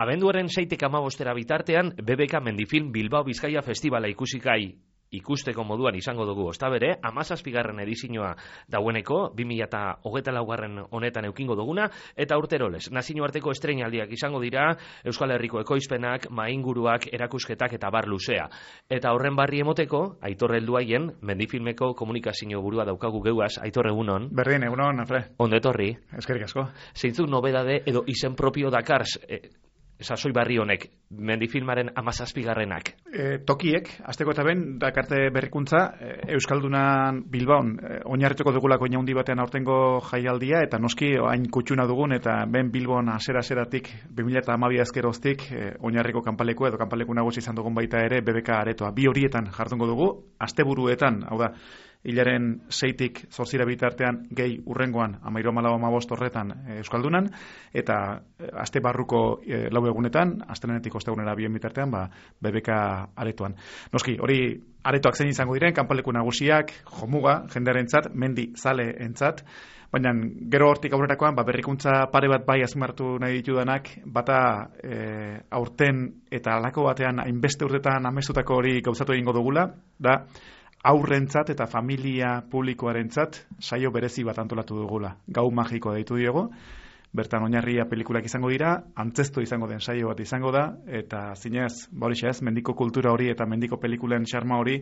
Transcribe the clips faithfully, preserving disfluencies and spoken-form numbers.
Abenduaren seitik hamabostera bitartean, B B K Mendifilm Bilbao Bizkaia Festivala ikusikai ikusteko moduan izango dugu. Ostabere, hamazazpigarren edizioa daueneko, bi mila hogeita laugarren honetan eukingo duguna, eta urteroles, nazioarteko estreinaldiak izango dira, Euskal Herriko ekoizpenak, mainguruak, erakusketak eta bar luzea. Eta horren barri emoteko, Aitor helduaien, Mendifilmeko komunikazio burua daukagu geuaz, Aitor egunon. Berdin, egunon, Alfred. Ondo etorri. Eskerrik asko. Zeintzuk nobedade edo izen propio dakars, e, sasoi barri honek, Mendifilmaren hamazazpigarrenak? E, tokiek, asteko eta ben, dakarte berrikuntza, e, Euskaldunan Bilbaon, e, oinarrituko dugulako inaundi batean aurtengo jaialdia, eta noski hain kutsuna dugun, eta ben Bilbon asera-aseratik, bi mila hamabi azkeroztik, e, oinarriko kanpaleku edo kanpaleku nagusi izan dugun baita ere, B B K aretoa. Bi horietan jardungo dugu, asteburuetan, hau da, hilaren seitik zortzira bitartean gehi urrengoan amairu amalau amabost horretan e, Euskaldunan, eta e, aste barruko e, lau egunetan, astelenetik ostegunera bien bitartean, ba, B B K aretoan. Noski, hori aretoak zein izango diren, kanpaleku nagusiak, jomuga, jendearentzat, mendi zale entzat, baina gero hortik aurrerakoan, ba, berrikuntza pare bat bai azmartu nahi ditudanak, bata e, aurten eta alako batean hainbeste urtetan amestutako hori gauzatu egingo dugula, da, aurrentzat eta familia publikoarentzat saio berezi bat antolatu dugula. Gau magiko deitu diogo, bertan oinarria pelikulak izango dira, antzestu izango den saio bat izango da, eta zinez, ba hori ez, mendiko kultura hori eta mendiko pelikulen xarma hori,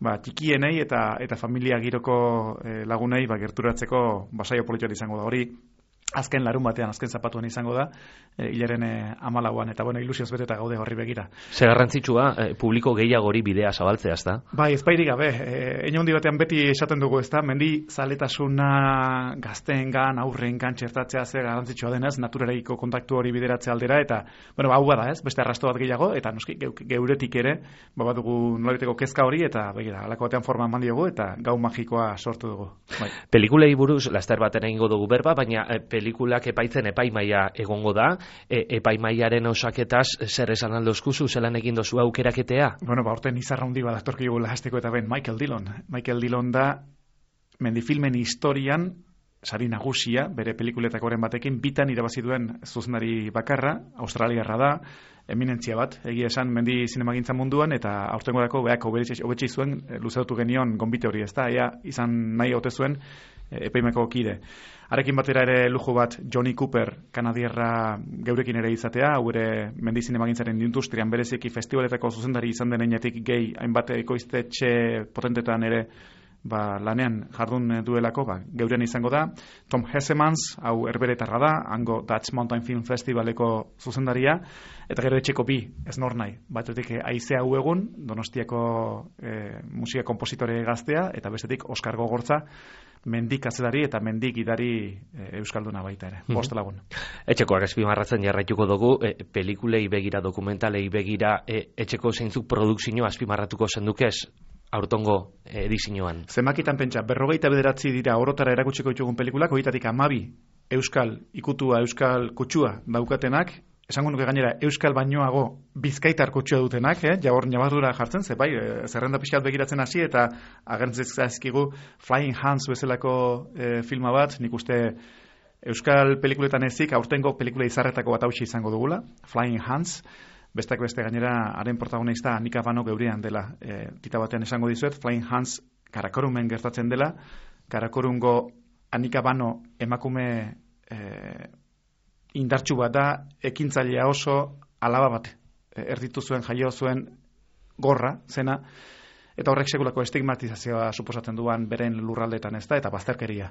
ba, txikienei eta eta familia giroko eh, lagunei ba, gerturatzeko ba, saio politikoa izango da hori. Azken larun batean, azken zapatuan izango da, e, hilaren e, amalauan, eta bueno, ilusioz beteta gaude horri begira. Zer garrantzitsua, e, publiko gehiagori bidea zabaltzea, ezta? Bai, ezpairik gabe, e, einondi batean beti esaten dugu, ezta, mendi zaletasuna gazteengan, aurrengan txertatzea zer garrantzitsua denez, naturareiko kontaktu hori bideratzea aldera, eta, bueno, hau bada, ez, beste arrasto bat gehiago, eta noski, geuretik ere, ba, badugu nolabiteko kezka hori, eta begira, alako batean forma eman diogu, eta gau magikoa sortu dugu. Bai. Pelikulei buruz, laster baten egingo dugu berba, baina e, pelikulak epaitzen epaimaia egongo da, e, epaimaiaren osaketaz zer esan aldozkuzu, zelan egin dozu aukeraketea? Bueno, ba, orten izarra hundi bat atorkigu lahasteko eta ben, Michael Dillon. Michael Dillon da Mendifilmen historian sari nagusia, bere pelikuletako batekin, bitan irabazi duen zuzendari bakarra, australiarra da, eminentzia bat, egia esan mendi zinemagintza munduan, eta aurtengorako beak hobetxe zuen, luzeutu genion gonbite hori, ez da, ea izan nahi haute zuen epaimeko kide. Arekin batera ere lujo bat Johnny Cooper, kanadierra geurekin ere izatea, hau ere mendi zinemagintzaren industrian bereziki festivaletako zuzendari izan denetik gehi, hainbat ekoiztetxe potentetan ere ba, lanean jardun duelako, ba, geurean izango da. Tom Hessemans, hau erberetarra da, hango Dutch Mountain Film Festivaleko zuzendaria, eta gero etxeko bi, ez nor nahi. Batetik Aizea hau egun, Donostiako e, musika kompositore gaztea, eta bestetik Oskar Gogortza, mendik azelari eta mendik idari e, Euskalduna baita ere, bost lagun. Etxekoak azpimarratzen jarraituko dugu, e, pelikulei begira, dokumentalei begira, e, etxeko zeintzuk produkzio azpimarratuko zendukez, aurtongo edizioan. Zemakitan pentsa, berrogeita bederatzi dira orotara erakutsiko ditugun pelikulak, horietatik amabi Euskal ikutua, Euskal kutsua daukatenak, esango nuke gainera Euskal bainoago bizkaitar kutsua dutenak, eh? Jabor nabardura jartzen, ze bai, e, zerrenda pixkat begiratzen hasi, eta agertzen zaizkigu Flying Hans bezalako e, filma bat, nik uste Euskal pelikuletan ezik, aurtengo pelikula izarretako bat hausia izango dugula, Flying Hans. Bestak beste gainera, haren protagonista Anika Bano geurean dela. E, tita batean esango dizuet, Flying Hans Karakorumen gertatzen dela. Karakorungo Anika Bano emakume e, indartsu bat da, ekintzailea oso alaba bat. E, erditu zuen, jaio zuen gorra, zena, eta horrek sekulako estigmatizazioa suposatzen duan beren lurraldetan ez da, eta bazterkeria.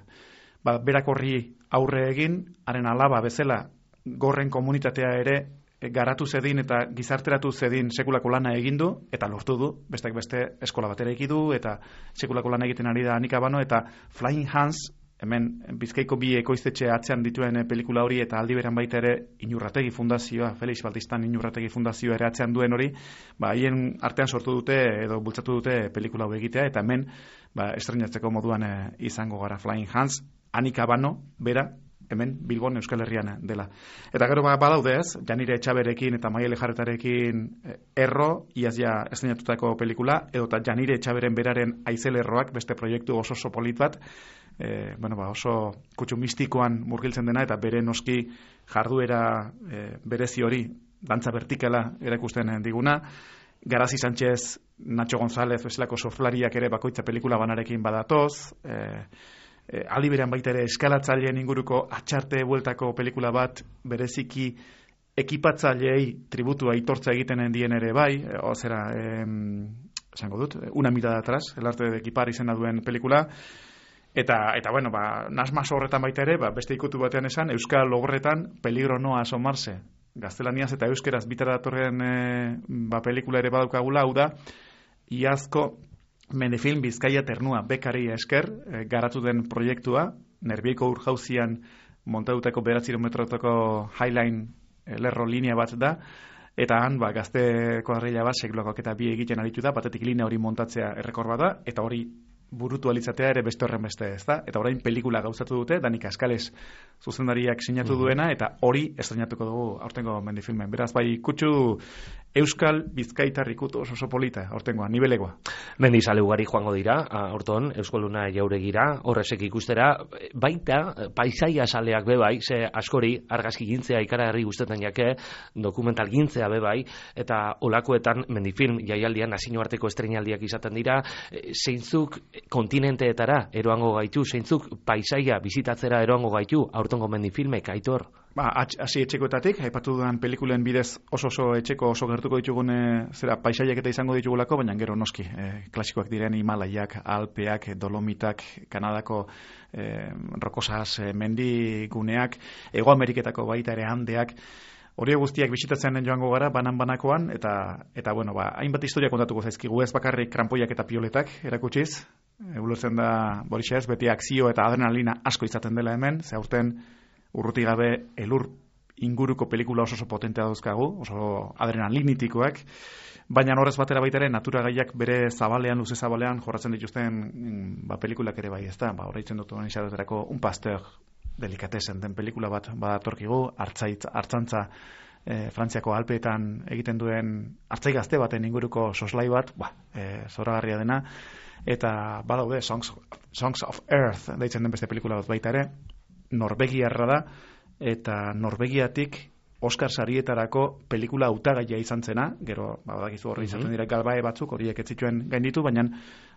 Ba, berak horri aurre egin, haren alaba bezala gorren komunitatea ere garatu zedin eta gizarteratu zedin sekulako lana egin du, eta lortu du, bestak beste eskola batera eki du, eta sekulako lana egiten ari da Anika Bano, eta Flying Hans, hemen Bizkaiko bi ekoiztetxe atzean dituen pelikula hori, eta aldi beran baita ere Inurrategi Fundazioa, Felix Baltistan Inurrategi Fundazioa ere atzean duen hori, ba, haien artean sortu dute, edo bultzatu dute pelikula hau egitea, eta hemen ba, estreinatzeko moduan e, izango gara Flying Hans, Anika Bano, bera, hemen Bilbon Euskal Herrian dela. Eta gero ba, badaude ez, Janire Etxaberekin eta Maiele Jarretarekin erro, iaz ja estrenatutako pelikula, edo eta Janire Etxaberen beraren aizelerroak, beste proiektu oso oso polit bat, e, bueno, ba, oso kutsu mistikoan murgiltzen dena, eta bere noski jarduera e, berezi hori dantza vertikala erakusten diguna. Garazi Sánchez, Nacho González bezalako surflariak ere bakoitza pelikula banarekin badatoz, eh, eh, aldi berean baita ere eskalatzaileen inguruko atxarte bueltako pelikula bat bereziki ekipatzaileei tributua aitortza egiten dien ere bai, eh, ozera, eh, esango dut, una mirada atrás, el arte de equipar izena duen pelikula, eta, eta bueno, ba, nasmas horretan baita ere, ba, beste ikutu batean esan, Euskal Logorretan peligro no asomarse, gaztelaniaz eta euskeraz bitara datorren e, ba, pelikula ere badaukagula, hau da, iazko Menefilm Bizkaia Ternua bekari esker e, garatu den proiektua, Nerbieiko urjauzian montatutako beratzi kilometrotako Highline e, lerro linea bat da, eta han ba, gazte kuadrilla bat seklokoak eta bi egiten aritu da, batetik linea hori montatzea errekor bada, eta hori burutu alitzatea ere beste horren beste, ez da? Eta orain pelikula gauzatu dute, Danik Askales zuzendariak sinatu duena, eta hori estrenatuko dugu aurtengo Mendifilmen. Beraz, bai, kutsu Euskal Bizkaitar ikutu oso oso polita, aurtengoa, nibelegoa. Mendizale ugari joango dira, aurton, Euskoluna jauregira, horrezek ikustera, baita, paisaia saleak bebai, ze askori, argazki gintzea ikaragarri guztetan jake, dokumental gintzea bebai, eta olakoetan Mendifilm jaialdian nazio arteko estreinaldiak izaten dira, zeintzuk kontinenteetara eroango gaitu, zeintzuk paisaia bizitatzera eroango gaitu, aurtongo Mendifilmek, Aitor? Ba, hasi etxekoetatik, aipatu dudan pelikulen bidez oso oso etxeko oso gertuko ditugun zera paisaiak eta izango ditugulako, baina gero noski, e, klasikoak diren Himalaiak, Alpeak, Dolomitak, Kanadako e, rokosas e, mendiguneak, Hego Ameriketako baita ere Andeak, hori guztiak bisitatzen joango gara banan-banakoan, eta, eta bueno, ba, hainbat historia kontatuko zaizkigu, ez bakarrik kranpoiak eta pioletak erakutsiz, e, ulertzen da Borisa ez, beti akzio eta adrenalina asko izaten dela hemen, ze aurten urruti gabe elur inguruko pelikula oso oso potentea dauzkagu, oso adrenalinitikoak, baina horrez batera baita ere natura gaiak bere zabalean, luze zabalean jorratzen dituzten ba, pelikulak ere bai, ez da, ba, horreitzen dut izateterako Un Pasteur delikatesen den pelikula bat badatorkigu, hartzaitz, hartzantza e, Frantziako Alpeetan egiten duen hartzai gazte baten inguruko soslai bat, ba, e, zoragarria dena, eta badaude Songs, Songs of Earth deitzen den beste pelikula bat baita ere, Norvegiarra da, eta Norvegiatik Oscar sarietarako pelikula hautagaia izan zena, gero, badakizu horri izaten dira galbae batzuk, horiek ez zituen gainditu, baina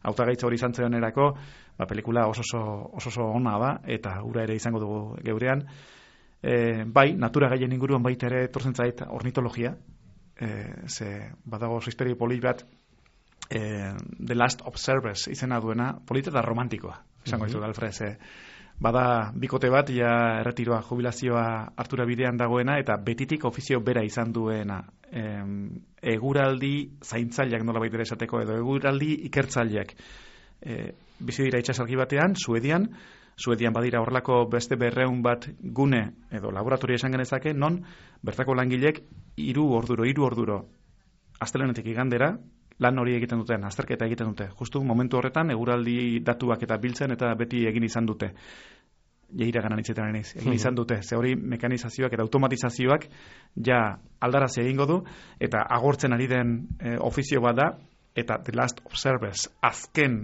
hautagaitza hori izan zenerako, ba, pelikula oso oso oso ona da, eta ura ere izango dugu geurean. E, bai, natura gaien inguruan baita ere etortzen zait ornitologia, e, ze badago oso historia polit bat, e, The Last Observers izena duena, polita eta romantikoa, izango ditu, Alfred, ze bada bikote bat, ja erretiroa, jubilazioa hartura bidean dagoena, eta betitik ofizio bera izan duena. Em, eguraldi zaintzaileak nola baita esateko, edo eguraldi ikertzaileak. E, bizi dira itxasalgi batean, Suedian, Suedian badira horrelako beste berreun bat gune, edo laboratoria esan genezake, non bertako langilek hiru orduro, hiru orduro, astelenetik igandera, lan hori egiten duten, azterketa egiten dute. Justu momentu horretan, eguraldi datuak eta biltzen, eta beti egin izan dute. Jeira ganan itxetan eniz, egin izan dute. Ze hori mekanizazioak eta automatizazioak ja aldarazi egingo du, eta agortzen ari den e, ofizio bat da, eta The Last Observers, azken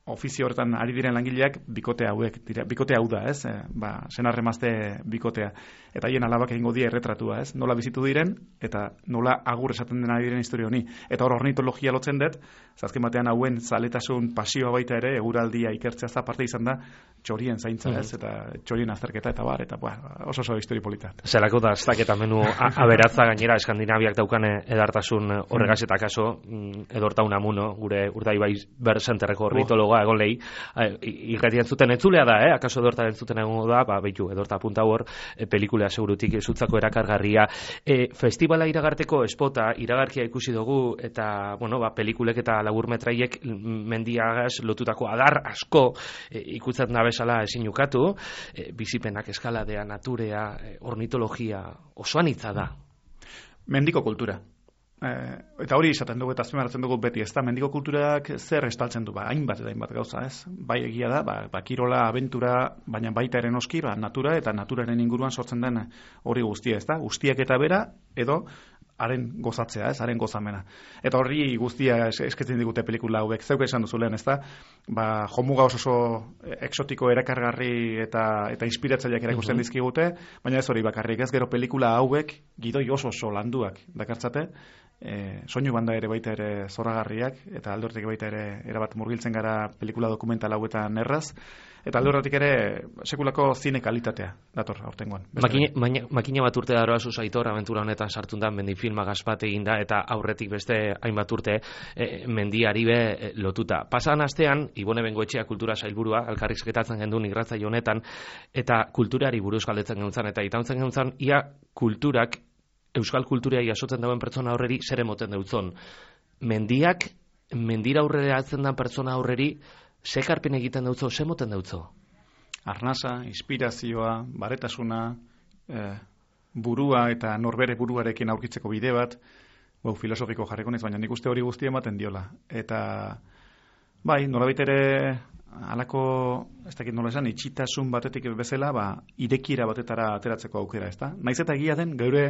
ofizio horretan ari diren langileak bikote hauek dira, bikote hau da, ez? E, ba, senarremazte bikotea. Eta haien alabak egingo die erretratua, ez? Nola bizitu diren, eta nola agur esaten den ari diren historia honi. Eta hor ornitologia lotzen dut, azken batean hauen zaletasun pasioa baita ere, eguraldia ikertzea aparte izan da, txorien zaintza, ez? Eta txorien azterketa, eta bar, eta ba, oso oso historia polita. Zelako da, aztaketa menu aberatza gainera, Eskandinaviak daukane edartasun horregaz eta kaso, edorta unamuno, gure urdaibai berzenterreko ornitologa egon lehi, irratian zuten entzulea da, eh? Akaso edorta entzuten egon da, ba, behitu, edorta apunta hor, e, pelikulea segurutik zutzako erakargarria. E, festivala iragarteko espota, iragarkia ikusi dugu, eta, bueno, ba, pelikulek eta laburmetraiek mendiagaz lotutako adar asko e, ikutzen da bezala ezin ukatu, e, bizipenak eskaladea, naturea, e, ornitologia, osoan hitza da. Mendiko kultura. Eh, eta hori izaten dugu eta azpimarratzen dugu beti, ez da, mendiko kulturak zer estaltzen du, ba, hainbat eta hainbat gauza, ez? Bai egia da, ba, ba kirola, abentura, baina baita eren oski, ba, natura eta naturaren inguruan sortzen den hori guztia, ez da? Guztiak eta bera, edo haren gozatzea, ez, haren gozamena. Eta horri guztia esketzen digute pelikula hauek, zeuka esan duzu lehen, ez da? Ba, jomuga oso oso exotiko erakargarri eta eta inspiratzaileak erakusten uh-huh. dizkigute, baina ez hori bakarrik, ez gero pelikula hauek gidoi oso oso landuak dakartzate, e, soinu banda ere baita ere zoragarriak, eta alde horretik baita ere erabat murgiltzen gara pelikula dokumental hauetan erraz, eta alde horretik ere sekulako zine kalitatea dator aurtengoan. Makina, makina bat urte daroa Aitor abentura honetan sartun da, mendifilma gazpat egin da, eta aurretik beste hainbat urte e, mendiari be e, lotuta. Pasan astean, Ibone Bengoetxea kultura sailburua, elkarrizketatzen gendun irratzaio honetan, eta kulturari buruz galdetzen gentzan, eta itauntzen gentzan, ia kulturak, euskal kulturia jasotzen dauen pertsona aurreri zer emoten deutzon. Mendiak, mendira aurrera atzen da pertsona aurreri, ze karpen egiten deutzo, ze moten deutzo? Arnasa, inspirazioa, baretasuna, eh, burua eta norbere buruarekin aurkitzeko bide bat, bau, filosofiko jarriko nez, baina nik uste hori guztia ematen diola. Eta, bai, nolabait ere, halako, ez dakit nola esan, itxitasun batetik bezala, ba, irekiera batetara ateratzeko aukera, ez da? Naiz eta egia den, geure,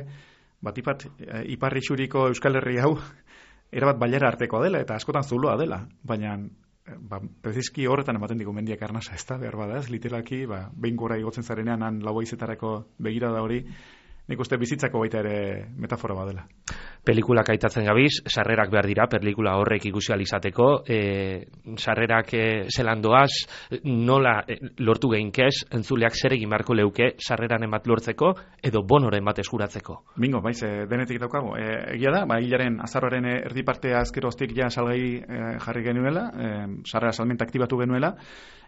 batipat, e, iparri xuriko Euskal Herri hau, erabat bailara artekoa dela, eta askotan zuloa dela, baina, ba, prezizki horretan ematen digu mendiak arnasa, ez da, behar bada, ez, literalki, ba, behin gora igotzen zarenean, han lau haizetarako begirada hori, nik uste bizitzako baita ere metafora badela. Pelikulak aitatzen gabiz, sarrerak behar dira, pelikula horrek ikusi alizateko, e, sarrerak e, zelan doaz, nola e, lortu geinkez, entzuleak zer egin beharko leuke, sarreran emat lortzeko, edo bonoren bat eskuratzeko. Bingo, baiz, e, denetik daukago. E, egia da, ba, hilaren azarroaren erdi partea azkeroztik ja salgai e, jarri genuela, e, sarrera salmenta aktibatu genuela,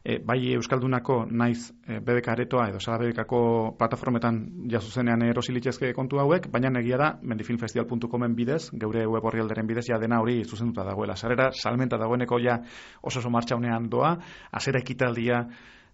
E, bai Euskaldunako naiz e, B B K aretoa edo Sala B B Kako plataformetan jazuzenean erosilitzezke kontu hauek, baina egia da mendifilmfestival puntu comen bidez, geure web orrialderen bidez ja dena hori zuzenduta dagoela. Sarera salmenta dagoeneko ja oso oso martxaunean doa, azera ekitaldia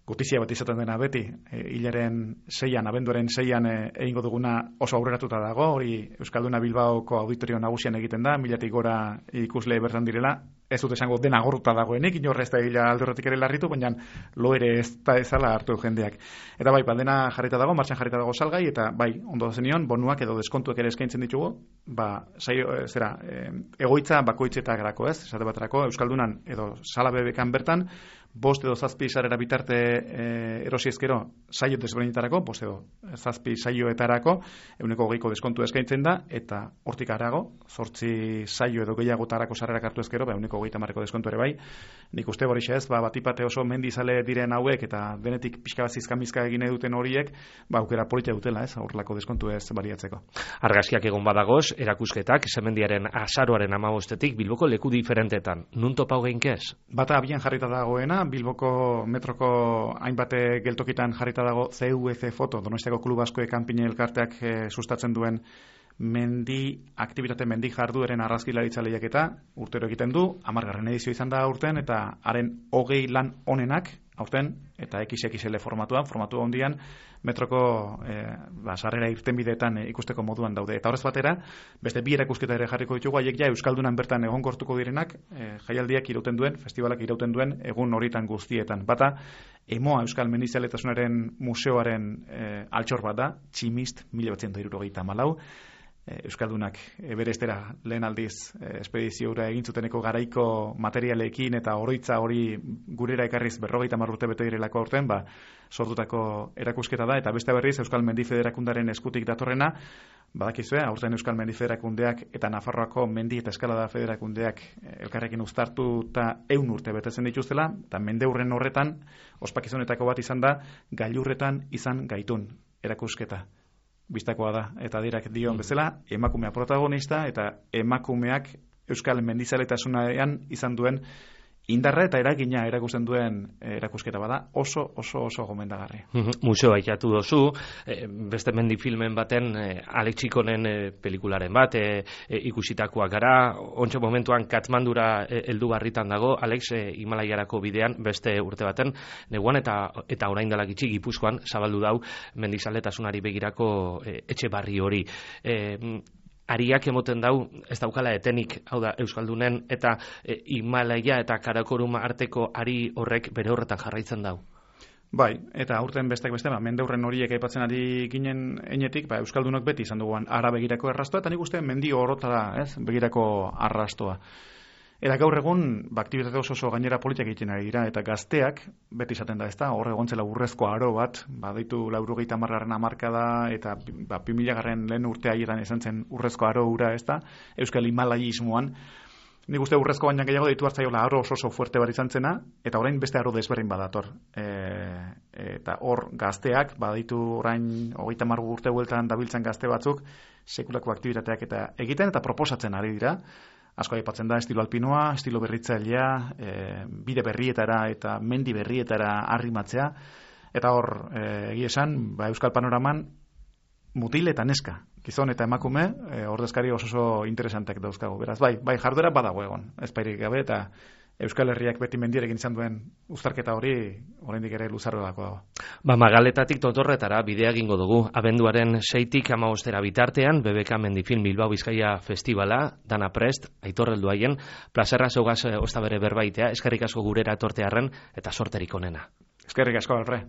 gutizia bat izaten dena beti, e, hilaren seian, abenduaren seian e, egingo duguna oso aurreratuta dago, hori Euskalduna Bilbaoko auditorio nagusian egiten da, milatik gora ikusle bertan direla, ez dut esango dena gorruta dagoenik, inorre ez da hila aldurretik ere larritu, baina lo ere ez da ezala hartu jendeak. Eta bai, dena jarrita dago, martxan jarrita dago salgai, eta bai, ondo zenion, bonuak edo deskontuak ere eskaintzen ditugu, ba, saio, zera, e, egoitza bakoitzetarako, ez, esate baterako, Euskaldunan edo Sala B B Kan bertan, bost edo zazpi sarrera bitarte e, erosi ezkero saio desberdinetarako, bost edo zazpi saioetarako, euneko hogeiko deskontu eskaintzen da, eta hortik harago, zortzi saio edo gehiagotarako sarrerak hartu ezkero, ba, euneko hogeita marreko deskontu ere bai. Nik uste hori ez, ba, batipate oso mendizale diren hauek, eta denetik pixka bat zizkamizka egin eduten horiek, ba, aukera politia dutela, ez, horrelako deskontu ez baliatzeko. Argazkiak egon badagoz, erakusketak, zemendiaren azaroaren amabostetik, Bilboko leku diferentetan. Nun topau geinkez? Bata abian jarrita dagoena, Bilboko metroko hainbate geltokitan jarrita dago C U C foto, Donostiako Klub Askoe kanpine elkarteak e, sustatzen duen mendi, aktibitate mendi jardueren argazkilaritza lehiaketa, urtero egiten du, hamargarren edizio izan da aurten, eta haren hogei lan onenak, aurten, eta X X L formatuan, formatu handian, metroko e, ba, sarrera irtenbideetan e, ikusteko moduan daude. Eta horrez batera, beste bi erakusketa ere jarriko ditugu, haiek ja Euskaldunan bertan egonkortuko direnak, e, jaialdiak irauten duen, festivalak irauten duen, egun horitan guztietan. Bata, Emoa Euskal Mendizaletasunaren museoaren e, altxor bat da, Tximist, mila batzientos hirurogeita hamalau, Euskaldunak eberestera lehen aldiz eh, espedizioura egin zuteneko garaiko materialekin eta oroitza hori gurera ekarriz berrogeita hamar urte bete direlako aurten, ba, sortutako erakusketa da, eta beste berriz Euskal Mendi Federakundaren eskutik datorrena, badakizue, aurten Euskal Mendi Federakundeak eta Nafarroako Mendi eta Eskalada Federakundeak elkarrekin uztartu eta eun urte betetzen dituztela, eta mendeurren horretan, ospakizunetako bat izan da, gailurretan izan gaitun erakusketa. Bistakoa da, eta dirak dion bezala, emakumea protagonista, eta emakumeak Euskal Mendizaletasunean izan duen indarra eta eragina erakusten duen erakusketa bada, oso, oso, oso gomendagarri. Museoa ikatu dozu, beste mendifilmen baten, Alex Txikonen pelikularen bat, ikusitakoak gara, ontsa momentuan Katmandura heldu barritan dago, Alex Himalaiarako bidean, beste urte baten, neguan eta eta orain dela gitxi Gipuzkoan zabaldu dau mendizaletasunari begirako etxe barri hori. Ariak emoten dau, ez daukala etenik, hau da, Euskaldunen, eta e, Himalaia eta Karakorum arteko ari horrek bere horretan jarraitzen dau. Bai, eta aurten besteak beste, ba, mendeurren horiek aipatzen ari ginen enetik, ba, Euskaldunok beti izan duguan ara begirako arrastoa, eta nik uste mendi orotara, ez, begirako arrastoa. Eta gaur egun, ba, aktibitate oso oso gainera politak egiten ari dira, eta gazteak, beti izaten da, ez da, hor egontzela urrezko aro bat, ba, deitu laurogeita hamargarren hamarkada, eta ba, bi mila garren lehen urte haieran izan zen urrezko aro ura, ez da, Euskal Himalaiismoan. Nik uste urrezko baina gehiago deitu hartzaiola aro oso oso fuerte bat izan zena, eta orain beste aro desberdin badator. E, eta hor gazteak, baditu orain hogeita hamar urte bueltan dabiltzan gazte batzuk, sekulako aktibitateak eta egiten eta proposatzen ari dira. Asko aipatzen da estilo alpinoa, estilo berritzailea, e, bide berrietara eta mendi berrietara arrimatzea. Eta hor, e, egia esan, ba, Euskal Panoraman mutil eta neska, gizon eta emakume, e, ordezkari oso oso interesanteak dauzkagu. Beraz, bai, bai jarduera badago egon, ez pairik gabe, eta Euskal Herriak beti mendierekin izan duen uztarketa hori, oraindik ere luzarrelako dago. Ba, Magaletatik Totorretara bidea egingo dugu. Abenduaren seitik hamabostera bitartean, B B K Mendifilm Bilbao Bizkaia Festivala, dana prest, Aitor heldu haien, plazerra zeugaz ostabere berbaitea, eskerrik asko gurera etortearren, eta sorterik onena. Eskerrik asko, Alfred.